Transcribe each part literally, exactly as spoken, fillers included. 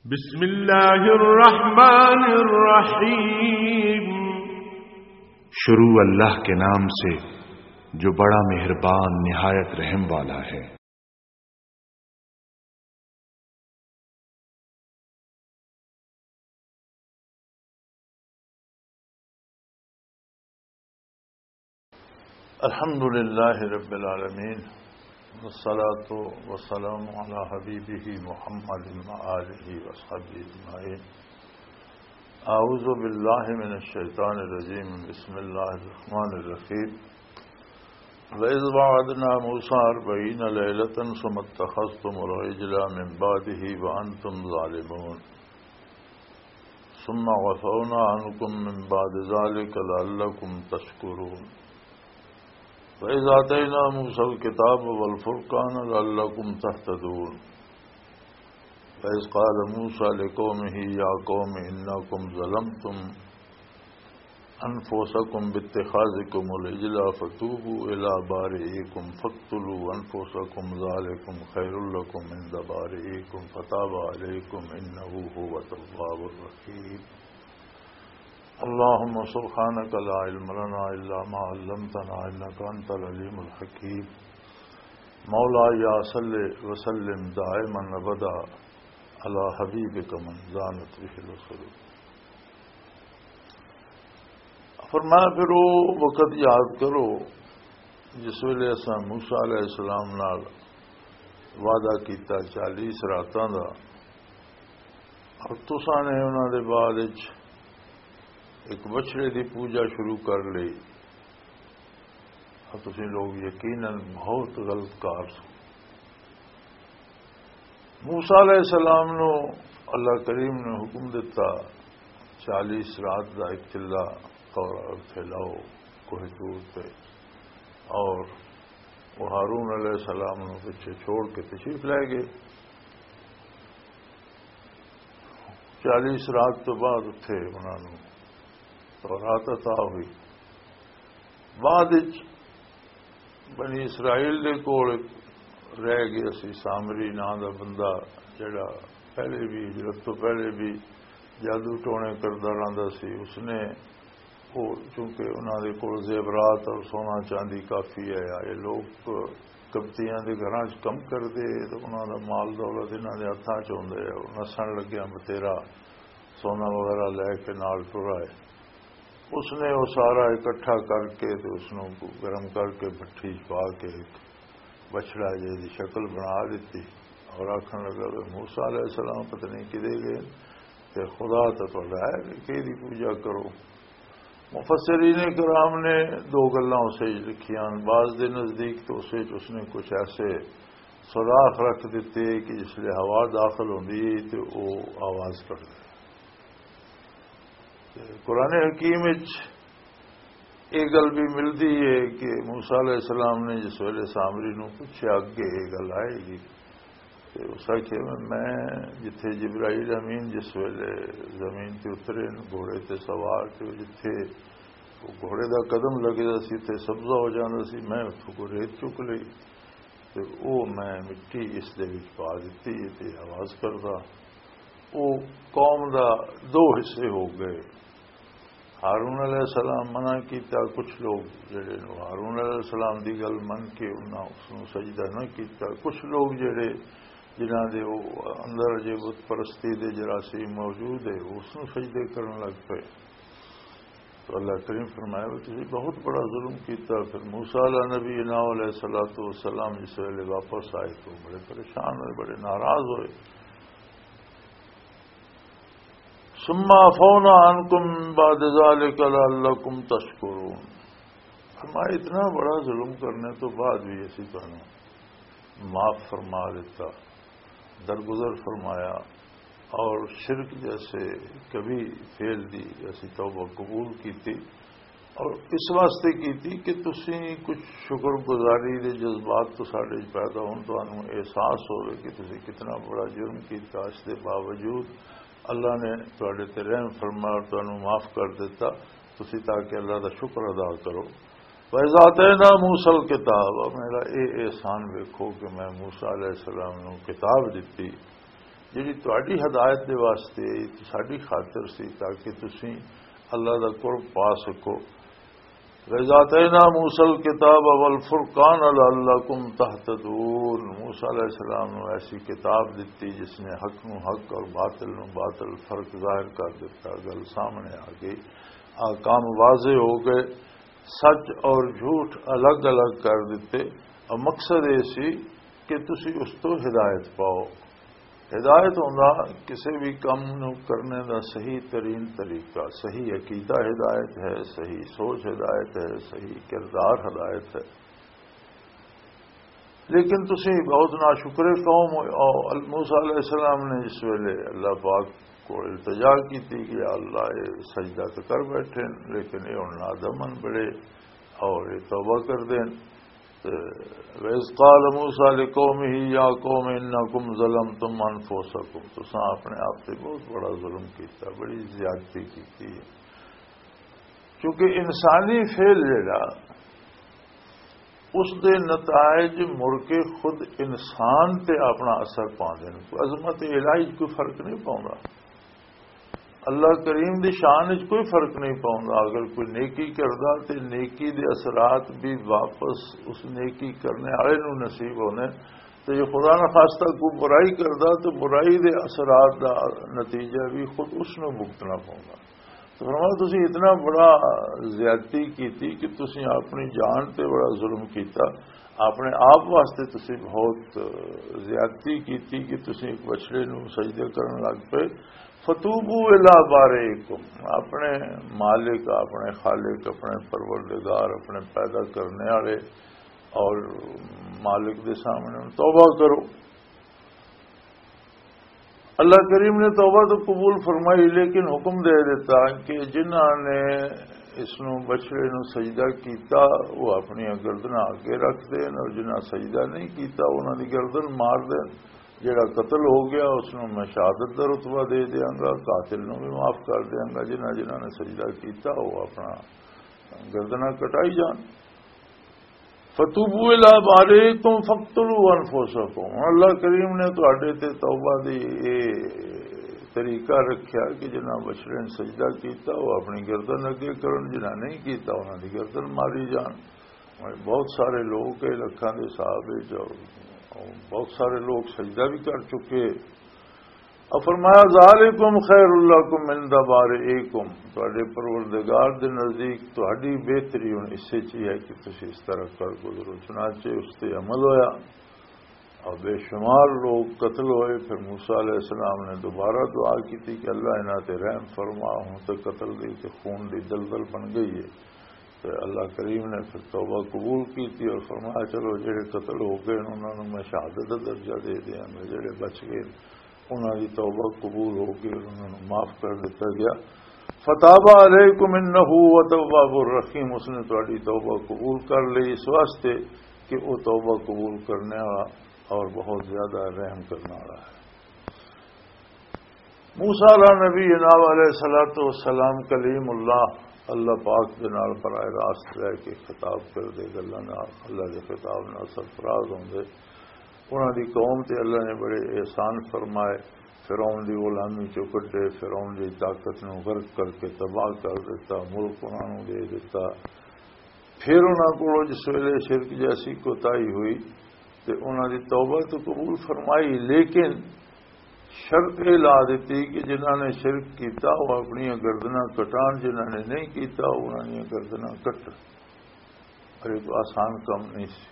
بسم اللہ الرحمن الرحیم۔ شروع اللہ کے نام سے جو بڑا مہربان نہایت رحم والا ہے۔ الحمد لله رب العالمين، والصلاة والسلام على حبيبه محمد وآله وصحبه أجمعين. أعوذ بالله من الشيطان الرجيم. بسم الله الرحمن الرحيم. وإذ وعدنا موسى أربعين ليلة ثم اتخذتم العجل من بعده وأنتم ظالمون. ثم عفونا عنكم من بعد ذلك لعلكم تشكرون. وإذ آتينا موسى الكتاب والفرقان لعلكم تهتدون. وإذ قال موسى لقومه يا قوم إنكم ظلمتم أنفسكم باتخاذكم العجل فتوبوا إلى بارئكم فاقتلوا أنفسكم ذلكم خير لكم عند بارئكم فتاب عليكم إنه هو التواب الرحيم. اللهم سبحانك لا علم لنا إلا ما علمتنا إنك أنت العليم الحكيم. مولاي صل وسلم دائما أبدا على حبيبك من زانت به العقول. فرمایا، پھر وہ وقت یاد کرو جس ویلے اساں موسیٰ علیہ السلام نال وعدہ کیتا چالیس راتاں دا، اور تساں نے انہاں دے بعد وچ ایک بچڑے دی پوجا شروع کر لئی، اور تسیں لوگ یقیناً بہت غلط کار سو۔ موسیٰ علیہ السلام نو اللہ کریم نے حکم دتا، چالیس رات دا ایک چلہ اور پھیلاؤ کوہ طور تے، اور وہ ہارون علیہ السلام نو پیچھے چھوڑ کے تشریف لے گئے۔ چالیس رات تو بعد اتھے انہاں نوں تورات عطا ہوئی۔ بعد وچ بنی اسرائیل دے کول رہ گیا سی سامری ناں دا بندہ، جڑا پہلے بھی، ہجرت تو پہلے بھی جادو ٹونے کردا رہندا سی۔ اس نے، وہ چونکہ انہاں دے کول زیورات اور سونا چاندی کافی ہے، یہ لوگ کپتیاں دے گھراں چ کم کردے، تے انہاں دا مال دولت انہاں دے ہتھاں چ ہوندے، او نسن لگیا بتیرا سونا وغیرہ لے کے نال ٹر آئے۔ اس نے وہ سارا اکٹھا کر کے تے اس نوں گرم کر کے بھٹی چ پا کے ایک بچڑا جے دی شکل بنا دتی، اور آکھن لگا کہ موسیٰ علیہ السلام پتہ نہیں کدے گئے، تے خدا تے تہاڈا ہے کہ کہدی پوجا کرو۔ مفسرین کرام نے دو گلاں اسے وچ لکھیاں۔ بعض دے نزدیک تو اسے وچ اس نے کچھ ایسے سوراخ رکھ دتے کہ جس لے ہوا داخل ہوندی ہے تے او آواز کردے۔ تے قرآن حکیم وچ یہ گل بھی ملدی ہے کہ موسیٰ علیہ السلام نے جس ویلے سامری نوں پوچھیا، اگے یہ گل آئے گی، تے اس آکھیا، میں، میں جتھے جبرائیل امین جس ویلے زمین تے اترے نے گھوڑے تے سوار، تے جتھے وہ گھوڑے دا قدم لگدا سی تے سبزہ ہو جاندا سی، میں اتھوں کوئی ریت چک لئی تے او میں مٹی اس دے وچ پا دتی تے آواز کردا۔ او قوم دا دو حصے ہو گئے۔ ہارون علیہ السلام منع کیتا، کچھ لوگ جڑے نے ہارون علیہ السلام دی گل من کے انہاں اس نوں سجدہ نہ کیتا۔ کچھ لوگ جڑے، جنہاں دے او اندر جے بت پرستی دے جراثیم موجود ہے، اس نوں سجدے کرن لگ پئے۔ تو اللہ کریم فرمایا، "وہ تسی بہت بڑا ظلم کیتا۔" پھر موسیٰ علیہ نبی نہ علیہ الصلوۃ والسلام جس ویلے واپس آئے تو بڑے پریشان ہوئے، بڑے ناراض ہوئے۔ ثم عفونا عنکم من بعد ذلک لعلکم تشکرون۔ فرمایا، اتنا بڑا ظلم کرنے تو بعد بھی اسی تانوں معاف فرما دیتا، درگزر فرمایا، اور شرک جیسے کبھی فعل دی اسی توبہ قبول کیتی، اور اس واسطے کیتی کہ تسی کچھ شکر گزاری دے جذبات تو ساڈے وچ پیدا ہون، تانوں احساس ہوئے کہ تسی کتنا بڑا جرم کیتا، اس دے باوجود اللہ نے تہاڈے تے رحم فرمایا اور تانوں معاف کر دیتا، تسی تاکہ اللہ دا شکر ادا کرو۔ وَإِذْ آتَيْنَا مُوسَى الْكِتَابَ، میرا اے احسان ویکھو کہ میں موسیٰ علیہ السلام نوں کتاب دتی، جڑی تہاڈی ہدایت دے واسطے آئی، ساڈی خاطر سی، تاکہ تسی اللہ دا قرب پا سکو۔ وَإِذْ آتَيْنَا مُوسَى الْكِتَابَ وَالْفُرْقَانَ لَعَلَّكُمْ تَهْتَدُونَ۔ موسیٰ علیہ السلام نو ایسی کتاب دتی جس نے حق نو حق اور باطل نو باطل فرق ظاہر کر دیتا، گل سامنے آ گئی، احکام واضح ہو گئے، سچ اور جھوٹ الگ الگ کر دیتے، اور مقصد یہ سی کہ تسی اس تو ہدایت پاؤ۔ ہدایت ہوندا کسی بھی کم نو کرنے دا صحیح ترین طریقہ، صحیح عقیدہ ہدایت ہے، صحیح سوچ ہدایت ہے، صحیح کردار ہدایت ہے۔ لیکن تسی بہت ناشکر قوم ہو۔ موسیٰ علیہ السلام نے اس ویلے اللہ پاک کو التجا کی تھی کہ یا اللہ، یہ سجدہ تو کر بیٹھے، لیکن یہ ہن نادمن بڑے اور یہ توبہ کر دین۔ تے وَإِذْ قَالَ مُوسَىٰ لِقَوْمِهِ يَا قَوْمِ إِنَّكُمْ ظَلَمْتُمْ أَنفُسَكُمْ، تساں اپنے آپ تے بہت بڑا ظلم کیتا، بڑی زیادتی کیتی ہے۔ کیونکہ انسانی فعل جڑا، اس دے نتائج مڑ کے خود انسان تے اپنا اثر پاندے نے۔ کوئی عظمت الہی 'چ کوئی فرق نہیں پاؤندا۔ اللہ کریم دی شان وچ کوئی فرق نہیں پاؤندا۔ اگر کوئی نیکی کردا تے نیکی دے اثرات بھی واپس اس نیکی کرنے والے نوں نصیب ہونے، تے جو خدا نہ خواستہ کوئی برائی کردا تے برائی دے اثرات دا نتیجہ بھی خود اس نوں بھگتنا پاؤندا۔ تو فرمایا، تسی اتنا بڑا زیادتی کیتی کہ تسی اپنی جان تے بڑا ظلم کیتا، اپنے آپ واسطے تسی بہت زیادتی کیتی کہ تسی ایک بچڑے نوں سجدے کرن لگ پئے۔ فَتُوبُوا إِلَىٰ بَارِئِكُمْ، اپنے مالک، اپنے خالق، اپنے پروردگار، اپنے پیدا کرنے والے اور مالک دے سامنے توبہ کرو۔ اللہ کریم نے توبہ تو قبول فرمائی، لیکن حکم دے دیتا کہ جنہاں نے اس نو، بچڑے نو سجدہ کیتا، وہ اپنی گردناں اگے رکھ دین، اور جنہاں سجدہ نہیں کیتا، انہاں دی گردن مار دین۔ جڑا قتل ہو گیا، اس نو میں شہادت دا رتبہ دے دیاں گا، قاتل نو بھی معاف کر دیاں گا۔ جنہاں جنہاں نے سجدہ کیتا، وہ اپنا گردناں کٹائی جان۔ فَتُوبُوا إِلَىٰ بَارِئِكُمْ فَاقْتُلُوا أَنفُسَكُمْ۔ ہن اللہ کریم نے تہاڈے تے توبہ دی اے طریقہ رکھیا کہ جنہاں بچڑے نے سجدہ کیتا، وہ اپنی گردن اگے کرن، جنہاں نہیں کیتا، انہاں دی گردن ماری جان۔ بہت سارے لوگ، اے لکھاں دے حساب وچ، بہت سارے لوگ سجدہ بھی کر چکے۔ اور فرمایا، ذَٰلِكُمْ خَيْرٌ لَّكُمْ عِندَ بَارِئِكُمْ، تہاڈے پروردگار دے نزدیک تہاڈی بہتری ہن اسے چ ہی ہے کہ تسی اس طرح کر گزرو۔ چنانچہ اس تے عمل ہویا اور بے شمار لوگ قتل ہوئے۔ پھر موسیٰ علیہ السلام نے دوبارہ دعا کی تھی کہ اللہ انہاں تے رحم فرما، ہن تے قتل دی تے خون دی دلدل بن گئی ہے۔ تے اللہ کریم نے پھر توبہ قبول کی تھی اور فرمایا، چلو جڑے قتل ہو گئے انہاں نوں میں شہادت دا درجہ دے دیاں، میں جڑے بچ گئے انہاں دی توبہ قبول ہو گئی، انہاں نوں معاف کر دتا گیا۔ فَتَابَ عَلَيْكُمْ إِنَّهُ هُوَ التَّوَّابُ الرَّحِيمُ، اس نے تہاڈی توبہ قبول کر لی، اس واسطے کہ وہ توبہ قبول کرنے والا اور بہت زیادہ رحم کرنے والا ہے۔ موسیٰ علیہ نبی جناب علیہ الصلوۃ والسلام کلیم اللہ، اللہ پاک دے نال براہ راست رہ کے خطاب کردے، گلاں نال اللہ دے خطاب نال سرفراز ہوندے۔ انہاں دی قوم تے اللہ نے بڑے احسان فرمائے، فرعون دی غلامی چوں کڈے، فرعون دی طاقت نوں غرق کر کے تباہ کر دتا، ملک انہاں نوں دے دتا۔ پھر انہاں کولوں جس ویلے شرک جیسی کوتاہی ہوئی تے انہاں دی توبہ تو قبول فرمائی، لیکن شرط یہ لا دیتی کہ جنہاں نے شرک کیتا وہ اپنی گردناں کٹان، جنہاں نے نہیں کیتا انہاں نے گردناں کٹن۔ اور یہ تو آسان کم نہیں سی۔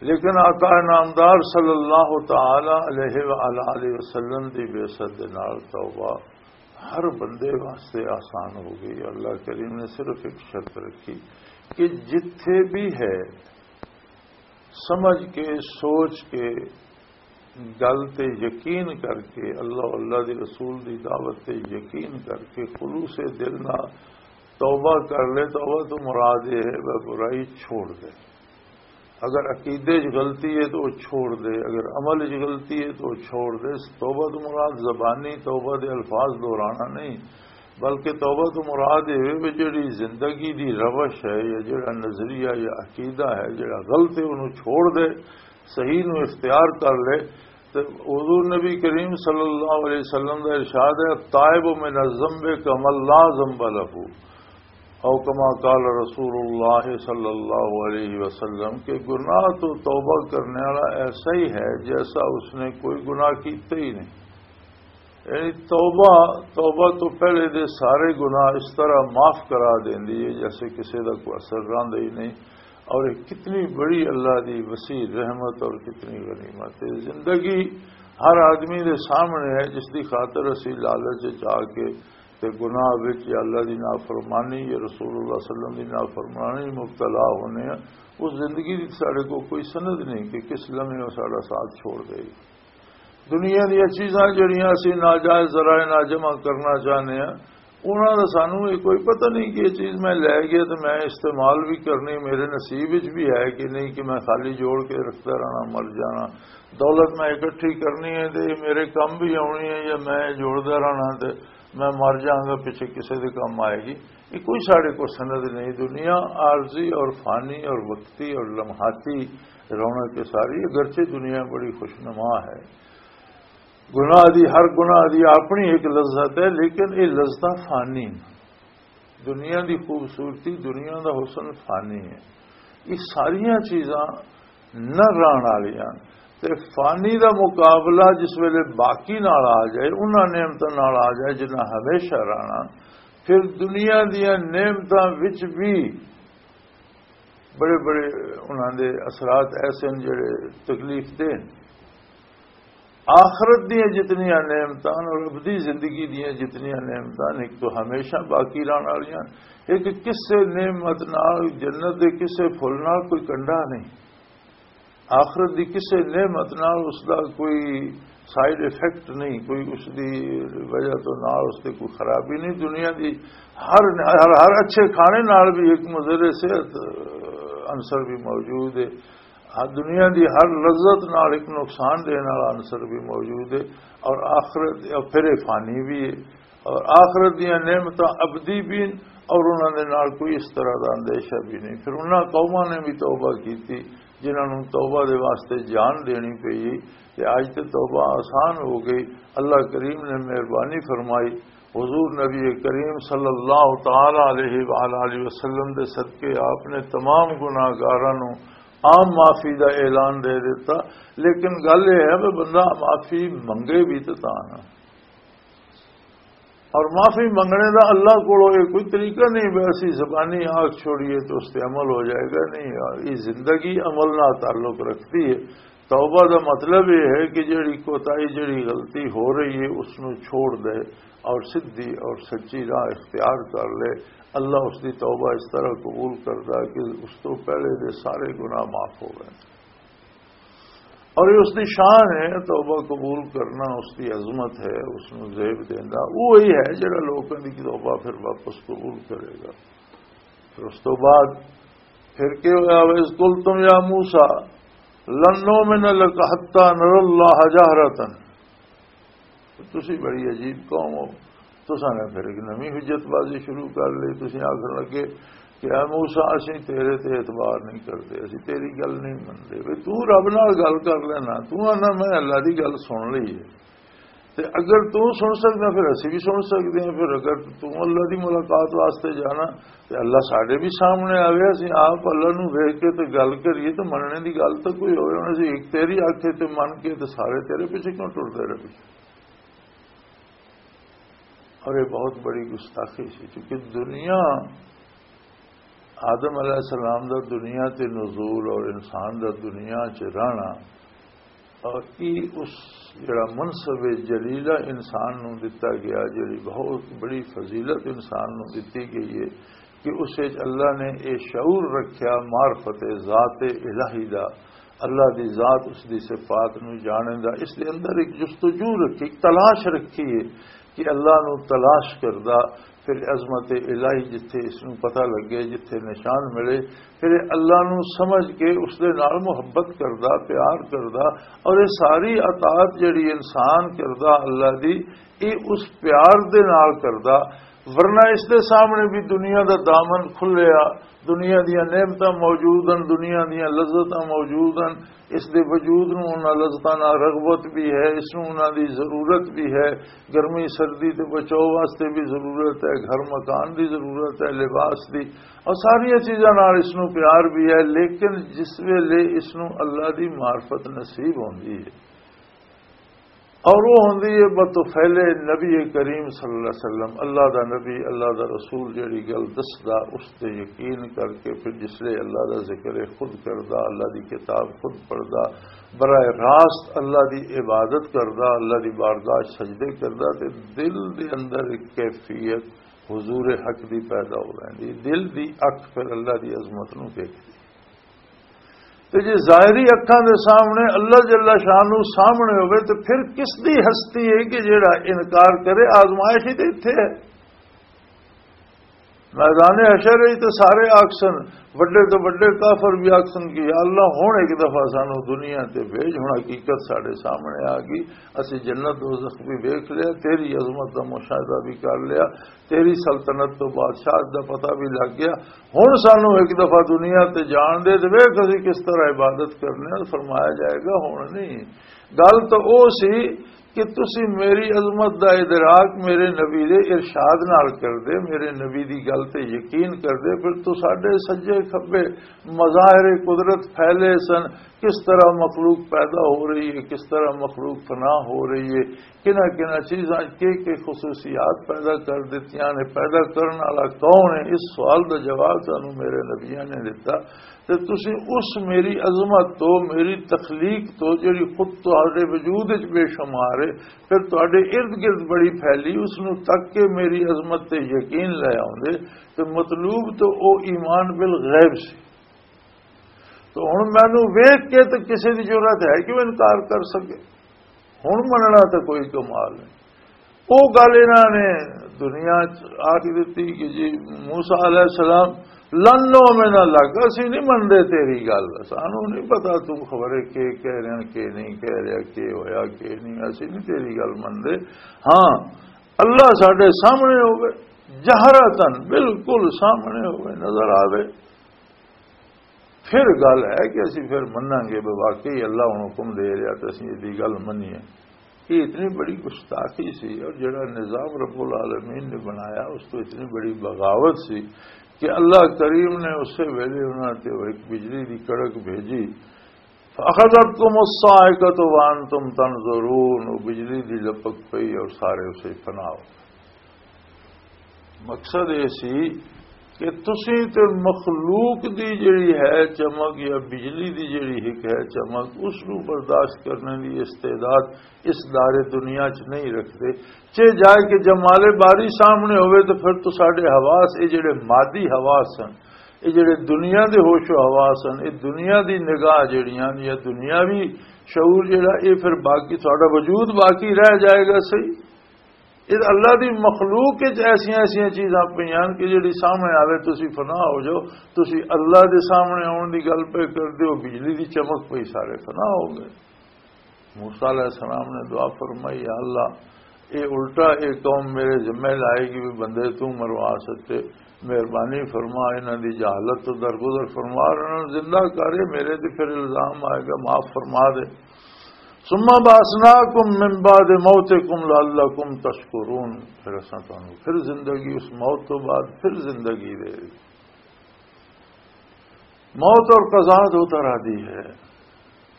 لیکن آقا نامدار صلی اللہ تعالی علیہ وآلہ وسلم دی بعثت دے نال توبہ ہر بندے واسطے آسان ہو گئی۔ اللہ کریم نے صرف ایک شرط رکھی کہ جتھے بھی ہے، سمجھ کے، سوچ کے، گل تے یقین کر کے، اللہ، اللہ دی رسول دی دعوت تے یقین کر کے خلوص دل نال توبہ کر لے۔ توبہ تو مراد یہ ہے کہ برائی چھوڑ دے۔ اگر عقیدے 'چ غلطی ہے تو وہ چھوڑ دے، اگر عمل 'چ غلطی ہے تو وہ چھوڑ دے۔ توبہ تو مراد زبانی توبہ دے الفاظ دہرانا نہیں، بلکہ توبہ تو مراد یہ ہے کہ جڑی زندگی دی روش ہے یا جڑا نظریہ یا عقیدہ ہے، جڑا غلط ہے، انہوں چھوڑ دے، صحیح نو اختیار کر لے۔ حضور نبی کریم صلی اللہ علیہ وسلم کا ارشاد ہے، "التائب من الذنب کمن لا ذنب لہ"، او کما قال رسول اللہ صلی اللہ علیہ وسلم، کہ گناہ تو توبہ کرنے والا ایسا ہی ہے جیسا اس نے کوئی گناہ کیتا ہی نہیں۔ یعنی توبہ، توبہ تو پہلے دے سارے گناہ اس طرح معاف کرا دیندی ہے جیسے کسی دا کوئی اثر رہندا ہی نہیں۔ اور یہ کتنی بڑی اللہ دی وسیع رحمت اور کتنی غنیمت ہے۔ زندگی ہر آدمی دے سامنے ہے، جس دی خاطر اسی لالچ وچ آ کے تے گناہ وچ یا اللہ دی نافرمانی یا رسول اللہ صلی اللہ علیہ وسلم دی نافرمانی مبتلا ہونے ہیں۔ اس زندگی دی ساڈے کو کوئی سند نہیں کہ کس لمحے وہ ساڈا ساتھ چھوڑ دے۔ دنیا دیاں چیزاں جڑیاں اسی ناجائز ذرائع نال جمع کرنا چاہنے ہاں، انہاں دا سانوں یہ کوئی پتہ نہیں کہ یہ چیز میں لے گیا تے میں استعمال بھی کرنی، میرے نصیب وچ بھی ہے کہ نہیں، کہ میں خالی جوڑ کے رکھدا رہنا، مر جانا۔ دولت میں اکٹھی کرنی ہے تے یہ میرے کم بھی آنی ہے، یا میں جوڑدا رہنا تے میں مر جاؤں گا، پیچھے کسے دے کم آئے گی۔ یہ کوئی ساڈے کو سند نہیں۔ دنیا عارضی اور فانی اور وقتی اور لمحاتی رونق کے ساری، اگرچہ دنیا بڑی خوشنما ہے۔ گناہ دی، ہر گناہ دی اپنی ایک لذت ہے، لیکن یہ لذتاں فانی نے۔ دنیا دی خوبصورتی، دنیا دا حسن فانی ہے۔ یہ ساریاں چیزاں نہ رہن والیاں۔ تے فانی دا مقابلہ جس ویلے باقی نال آ جائے، انہاں نعمتاں نال آ جائے جنہاں ہمیشہ رہنا، پھر دنیا دیاں نعمتاں وچ بھی بڑے بڑے انہاں دے اثرات ایسے ہیں جڑے تکلیف دہ ہیں۔ آخرت دیاں جتنیاں نعمتاں اور ابدی زندگی دیاں جتنیاں نعمتاں، ایک تو ہمیشہ باقی رہن والیاں، ایک کسے نعمت نال، جنت دے کسے پھل نال کوئی کنڈا نہیں۔ آخرت دی کسے نعمت نال اس دا کوئی سائیڈ ایفیکٹ نہیں، کوئی اس دی وجہ تو نال اس تے کوئی خرابی نہیں۔ دنیا دی ہر، ہر، ہر اچھے کھانے نال بھی ایک مضر صحت عنصر بھی موجود ہے۔ ہر دنیا دی ہر لذت نال ایک نقصان دین والا عنصر بھی موجود ہے، اور آخرت، اور پھر یہ فانی بھی ہے، اور آخرت دیاں نعمتاں ابدی بھی ہیں، اور انہاں دے نال کوئی اس طرح دا اندیشہ بھی نہیں۔ پھر انہاں قوماں نے بھی توبہ کیتی، جنہاں نوں توبہ دے واسطے جان دینی پئی، تے اج تے توبہ آسان ہو گئی۔ اللہ کریم نے مہربانی فرمائی، حضور نبی کریم صلی اللہ تعالی علیہ وآلہ وسلم دے صدقے آپ نے تمام گناہگاراں نوں عام معافی دا اعلان دے دیتا۔ لیکن گل یہ ہے کہ بندہ معافی منگے بھی تے تاں نہ، اور معافی منگنے دا اللہ کولوں یہ کوئی طریقہ نہیں، ویسی زبانی آگ چھوڑیے تو اس تے عمل ہو جائے گا، نہیں۔ یہ زندگی عمل نال تعلق رکھتی ہے۔ توبہ دا مطلب یہ ہے کہ جڑی کوتاہی، جڑی غلطی ہو رہی ہے، اس نو چھوڑ دے اور سدھی اور سچی راہ اختیار کر لے۔ اللہ اس دی توبہ اس طرح قبول کردا کہ اس تو پہلے دے سارے گناہ معاف ہو گئے۔ اور یہ اس دی شان ہے، توبہ قبول کرنا اس دی عظمت ہے، اس نو زیب دیندا۔ وہی ہے جڑا لوکاں دی توبہ پھر واپس قبول کرے گا۔ پھر اس تو بعد پھر کی ہویا؟ "وَإِذْ قُلْتُمْ يَا مُوسَىٰ لَن نُّؤْمِنَ لَكَ حَتَّىٰ نَرَى اللَّهَ جَهْرَةً۔" تسی بڑی عجیب قوم ہو، تساں نے پھر ایک نویں حجت بازی شروع کر لی۔ تسی آکھن لگے کہ "اے موسیٰ، اسیں تیرے تے اعتبار نہیں کردے، اسیں تیری گل نہیں مندے۔" بھئی، تو رب نال گل کر لینا، تو آنا میں اللہ دی گل سن لی ہے۔ تے اگر تو سن سکدا، پھر اسی بھی سن سکدے ہاں۔ پھر اگر تو اللہ دی ملاقات واسطے جانا، تے اللہ ساڈے بھی سامنے آوے، اسی آپ اللہ نو ویکھ کے تے گل کریے، تے مننے دی گل تے کوئی ہوے، ہن اسی ایک تیری آکھے تے من کے تے سارے تیرے پیچھے کیوں ٹردے رہے؟ اور یہ بہت بڑی گستاخی سی، کیونکہ دنیا، آدم علیہ السلام دا دنیا تے نزول اور انسان دا دنیا چ رہنا، اور یہ اس جڑا منصب جلیلہ انسان نو دتا گیا، جڑی بہت بڑی فضیلت انسان نو دتی گئی ہے کہ اس وچ اللہ نے یہ شعور رکھیا معرفت ذات الہی دا، اللہ دی ذات، اس دی صفات نو جانن دا، اس دے اندر ایک جستجو رکھی، ایک تلاش رکھی ہے کہ اللہ نو تلاش کردا، پھر عظمت الہی جتھے اس نو پتہ لگے، جتھے نشان ملے، پھر اللہ نو سمجھ کے اس دے نال محبت کردا، پیار کردا، اور یہ ساری اطاعت جڑی انسان کردا اللہ دی، یہ اس پیار دے نال کردا۔ ورنہ اس دے سامنے بھی دنیا دا دامن کھلیا، دنیا دیاں نعمتاں موجود ہیں، دنیا دیاں لذتاں موجود ہیں۔ اس دے وجود نوں انہاں لذتاں نال رغبت بھی ہے، اس نوں انہاں دی ضرورت بھی ہے۔ گرمی سردی تے بچاؤ واسطے بھی ضرورت ہے، گھر مکان دی ضرورت ہے، لباس دی، اور ساریاں چیزاں نال اس نوں پیار بھی ہے۔ لیکن جس ویلے اس نوں اللہ دی معرفت نصیب ہوندی ہے، اور وہ ہوندی ہے بطفیل نبی کریم صلی اللہ علیہ وسلم، اللہ دا نبی، اللہ دا رسول جڑی گل دسدا، اس تے یقین کر کے پھر جس لے اللہ دا ذکر خود کردا، اللہ دی کتاب خود پڑھدا، براہ راست اللہ دی عبادت کردا، اللہ دی بارگاہ سجدے کردا، تے دل دے اندر ایک کیفیت حضور حق دی پیدا ہو ویندی، دل دی اکھ پھر اللہ دی عظمت نوں ویکھدی۔ تے جے ظاہری اکھاں دے سامنے اللہ جل شانہ سامنے ہوئے، تے پھر کس دی ہستی ہے کہ جیڑا انکار کرے؟ آزمائش ہی تے اتھے ہے۔ میدان حشر وچ تے سارے آکسن، وڈے تو وڈے کافر بھی آکسن کہ یا اللہ، ہن ایک دفعہ سانو دنیا تے بھیج، ہن حقیقت ساڈے سامنے آ گئی، اسی جنت دوزخ بھی ویکھ لیا، تیری عظمت دا مشاہدہ بھی کر لیا، تیری سلطنت تو بادشاہت دا پتہ بھی لگ گیا، ہن سانو ایک دفعہ دنیا تے جان دے تے ویکھ اسی کس طرح عبادت کرنے آں۔ فرمایا جائے گا، ہن نہیں۔ گل تو او سی کہ تسی میری عظمت دا ادراک میرے نبی دے ارشاد نال کر دے، میرے نبی دی گل تے یقین کر دے، پھر تو ساڈے سجے کھبے مظاہر قدرت پھیلے سن، کس طرح مخلوق پیدا ہو رہی ہے، کس طرح مخلوق فنا ہو رہی ہے، کنہ کنہ چیزاں کے کے خصوصیات پیدا کر دیتیاں نے، پیدا کرن والا کون ہے؟ اس سوال دا جواب سانو میرے نبیاں نے دتا۔ تے تسی اس میری عظمت تو، میری تخلیق تو، جڑی خود تہاڈے وجود وچ بے شمار ہے، پھر تہاڈے ارد گرد بڑی پھیلی، اس نو تک کے میری عظمت تے یقین لے آوندے، تے مطلوب تو او ایمان بالغیب سی۔ تو ہن مینوں ویکھ کے تے کسے دی جرات ہے کہ وہ انکار کر سکے؟ ہن مننا تے کوئی کمال نہیں۔ او گل انہاں نے دنیا چ آکھ دتی کہ جی موسیٰ علیہ السلام لن نؤمن لک، اسی نہیں مندے تیری گل، سانو نہیں پتا تو خبرے کے کہہ رہے ہیں، کے نہیں کہہ رہا، کے ہویا، کے نہیں، اسی نہیں تیری گل مندے۔ ہاں، اللہ ساڈے سامنے ہوئے، جہرتن، بالکل سامنے ہوئے، نظر آوے۔ پھر گل ہے کہ اسی پھر مناں گے، بے واقعی اللہ ہن حکم دے رہا تے اسی ایہدی گل منیے۔ یہ اتنی بڑی گستاخی سی، اور جڑا نظام رب العالمین نے بنایا، اس تو اتنی بڑی بغاوت سی کہ اللہ کریم نے اسے ویلے انہاں تے وہ ایک بجلی دی کڑک بھیجی، فَأَخَذَتْكُمُ الصَّاعِقَةُ وَأَنْتُمْ تَنْظُرُونَ، وہ بجلی دی لپک پئی اور سارے اسے فنا ہو۔ مقصد یہ سی کہ تسی تے مخلوق دی جڑی ہے چمک یا بجلی دی جڑی ہک ہے چمک، اس نو برداشت کرنے دی استعداد اس دار دنیا چ نہیں رکھتے۔ چے جائے کہ جمال باری سامنے ہوئے تو پھر تو ساڈے حواس، یہ جڑے مادی حواس ہیں، یہ جڑے دنیا دے ہوش و حواس ہیں، یہ دنیا دی نگاہ جڑیاں یا دنیاوی شعور جڑا، یہ پھر باقی، ساڈا وجود باقی رہ جائے گا، صحیح؟ یہ اللہ دی مخلوق وچ ایسیاں ایسیاں چیزاں پئیاں کہ جڑی سامنے آوے، تسی فنا ہو جاؤ۔ تسی اللہ دے سامنے آن دی گل پہ کر دیو، بجلی دی چمک پئی، سارے فنا ہو گئے۔ موسیٰ علیہ السلام نے دعا فرمائی، "یا اللہ، اے الٹا اے قوم میرے ذمہ لائے گی بھی بندے تو مروا سکتے، مہربانی فرما، انہاں دی جہالت تو درگزر فرما، اور انہاں نوں زندہ کر، اے میرے تے پھر الزام آئے گا، معاف فرما دے۔" ثم بعثناکم من بعد موتکم لعلکم تشکرون، پھر اساں تانوں پھر زندگی، اس موت تو بعد پھر زندگی دے۔ موت اور قضا دو طرح دی ہے،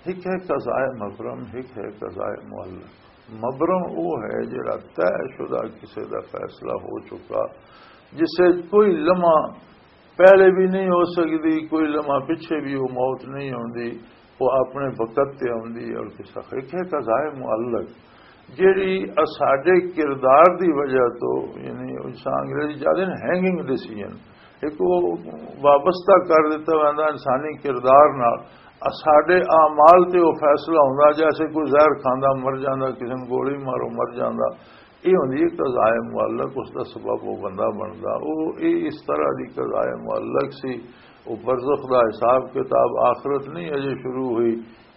ایک ہے قضائے مبرم، ایک ہے قضائے معلق۔ مبرم وہ ہے جڑا طے شدہ کسے دا فیصلہ ہو چکا، جسے کوئی لمحہ پہلے بھی نہیں ہو سکتی، کوئی لمحہ پیچھے بھی وہ موت نہیں ہوندی، وہ اپنے وقت تے ہوندی۔ اور کسا ایک ہے قضائے معلق، جیڑی اساڈے کردار دی وجہ تو، یعنی انسان انگریزی جاتے ہیں ہینگنگ ڈیسیژن، ایک وہ وابستہ کر دیتا ویندا انسانی کردار نال۔ اساڈے اعمال تے وہ فیصلہ ہوندا، جیسے کوئی زہر کھاندا مر جاندا، کسی نوں گولی مارو مر جاندا۔ یہ ہوندی ہے قضائے معلق، اس دا سبب وہ بندہ بندا۔ وہ یہ اس طرح دی قضائے معلق سی۔ وہ برزخ دا حساب کتاب، آخرت نہیں اجے شروع ہوئی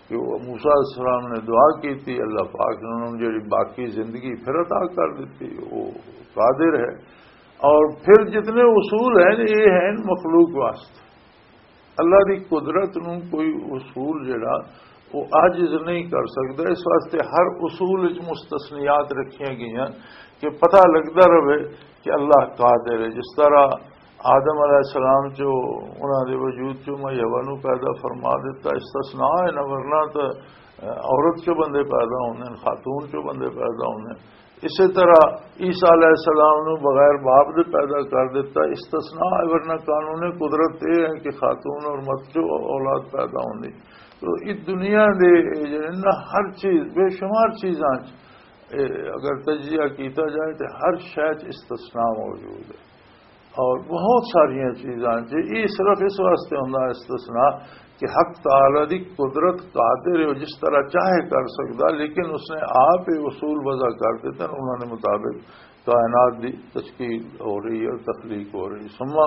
کہ وہ موسیٰ علیہ السلام نے دعا کی تھی، اللہ پاک نے انہوں نے جڑی باقی زندگی پھر عطا کر دیتی۔ وہ قادر ہے۔ اور پھر جتنے اصول ہیں، یہ ہیں مخلوق واسطے۔ اللہ دی قدرت نو کوئی اصول جڑا، وہ عاجز نہیں کر سکتا۔ اس واسطے ہر اصول وچ مستثنیات رکھیاں گئیاں کہ پتہ لگدا رہے کہ اللہ قادر ہے۔ جس طرح آدم علیہ السلام چو، انہاں دے وجود چو میں حوا نو پیدا فرما دیتا، استثناء ہے نا، ورنہ تو عورت چو بندے پیدا ہوندے ہیں، خاتون چو بندے پیدا ہوندے ہیں۔ اسی طرح عیسیٰ علیہ السلام نو بغیر باپ دے پیدا کر دیتا، استثناء ہے، ورنہ قانون قدرت یہ ہے کہ خاتون اور مرد چو اولاد پیدا ہوندی۔ تو اس دنیا دے جڑے نا، ہر چیز، بے شمار چیزاں چ، اے، اگر تجزیہ کیتا جائے تو ہر شے چ استثناء موجود ہے۔ اور بہت ساریاں چیزاں چ یہ صرف اس واسطے ہوندا استثناء کہ حق تعالی دی قدرت قادر ہے، وہ جس طرح چاہے کر سکدا، لیکن اس نے آپ ہی اصول وضع کر دیتے ہیں، انہوں نے مطابق کائنات دی تشکیل ہو رہی ہے اور تخلیق ہو رہی ہے۔ ثم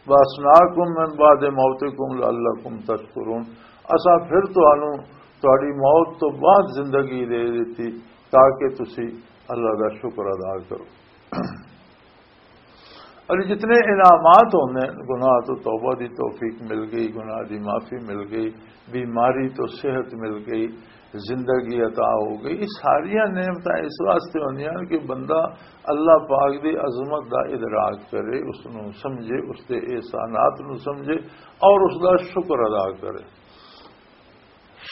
بعثناکم من بعد موتکم لعلکم تشکرون، اساں پھر تانوں تہاڈی موت تو بعد زندگی دے دتی تاکہ تسی اللہ دا شکر ادا کرو۔ اور جتنے انعامات ہوندے ہیں، گناہ تو توبہ دی توفیق مل گئی، گناہ دی معافی مل گئی، بیماری تو صحت مل گئی، زندگی عطا ہو گئی، یہ ساریاں نعمتاں اس واسطے ہوندیاں ہیں کہ بندہ اللہ پاک دی عظمت دا ادراک کرے، اس نو سمجھے، اس دے احسانات نو سمجھے اور اس دا شکر ادا کرے۔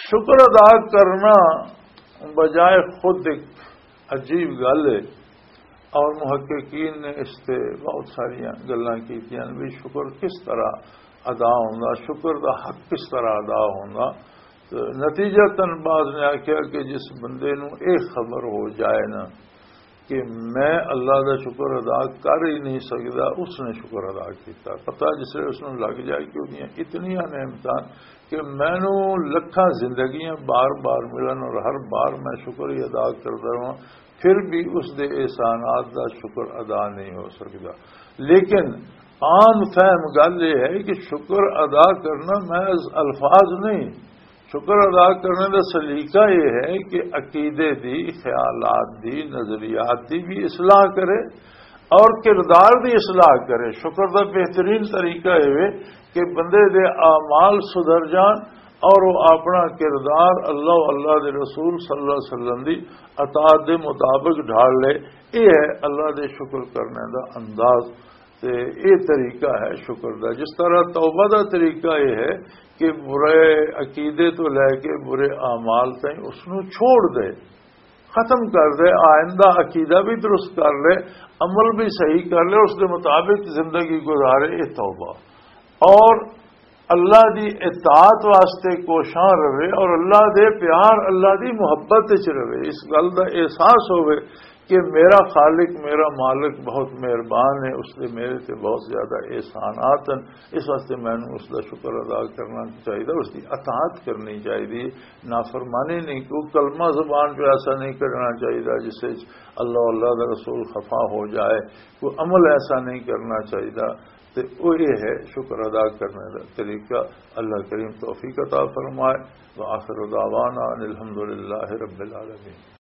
شکر ادا کرنا بجائے خود ایک عجیب گل ہے، اور محققین نے اس تے بہت ساریاں گلاں کیتیاں بھی شکر کس طرح ادا ہوندا، شکر دا حق کس طرح ادا ہوندا۔ تو نتیجتاً بعض نے آکھیا کہ جس بندے نو اے خبر ہو جائے نا کہ میں اللہ دا شکر ادا کر ہی نہیں سکدا، اس نے شکر ادا کیتا۔ پتہ جس ویلے اس نوں لگ جائے کہ اودیاں اتنیاں نعمتاں کہ مینوں لکھاں زندگیاں بار بار ملن اور ہر بار میں شکر ہی ادا کردا رہاں، پھر بھی اس دے احسانات دا شکر ادا نہیں ہو سکدا۔ لیکن عام فہم گل یہ ہے کہ شکر ادا کرنا محض الفاظ نہیں، شکر ادا کرنے دا سلیقہ یہ ہے کہ عقیدے دی، خیالات دی، نظریات دی بھی اصلاح کرے اور کردار دی اصلاح کرے۔ شکر دا بہترین طریقہ یہ ہے کہ بندے دے اعمال سدھر جان اور وہ اپنا کردار اللہ و اللہ دے رسول صلی اللہ علیہ وسلم دی اطاعت دے مطابق ڈھال لے۔ یہ ہے اللہ دے شکر کرنے دا انداز۔ تے یہ طریقہ ہے شکر دا۔ جس طرح توبہ دا طریقہ یہ ہے کہ برے عقیدے تو لے کے برے اعمال تائیں اس نو چھوڑ دے، ختم کر دے، آئندہ عقیدہ بھی درست کر لے، عمل بھی صحیح کر لے، اس دے مطابق زندگی گزارے، یہ توبہ۔ اور اللہ دی اطاعت واسطے کوشاں رہے اور اللہ دے پیار، اللہ دی محبت وچ رہے، اس گل دا احساس ہوئے کہ میرا خالق، میرا مالک بہت مہربان ہے، اس دے میرے تے بہت زیادہ احسانات ہیں، اس واسطے مینوں اس دا شکر ادا کرنا چاہیے، اس دی اطاعت کرنی چاہیے۔ نافرمانی نہیں، کوئی کلمہ زبان پہ ایسا نہیں کرنا چاہیے جس وچ اللہ، اللہ دا رسول خفا ہو جائے، کوئی عمل ایسا نہیں کرنا چاہیے۔ تے او یہ ہے شکر ادا کرنے دا طریقہ۔ اللہ کریم توفیق عطا فرمائے۔ وآخر دعوانا ان الحمدللہ رب العالمین۔